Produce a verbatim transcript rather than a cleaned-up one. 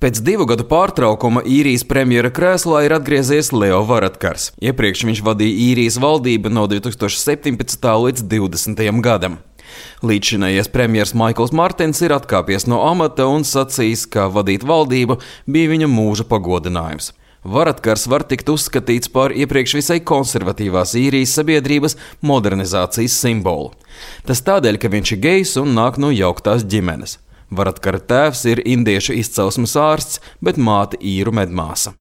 Pēc divu gadu pārtraukuma īrijas premjera krēslā ir atgriezies Leo Varadkars. Iepriekš viņš vadīja īrijas valdību no divi tūkstoši septiņpadsmitā līdz divdesmitajam gadam. Līdzšinējies premjers Maikls Martins ir atkāpies no amata un sacījis, ka vadīt valdību bija viņa mūža pagodinājums. Varadkars var tikt uzskatīts par iepriekš visai konservatīvās īrijas sabiedrības modernizācijas simbolu. Tas tādēļ, ka viņš ir gejs un nāk no jauktās ģimenes. Varadkara tēvs ir indiešu izcelsmes ārsts, bet māte īru medmāsa.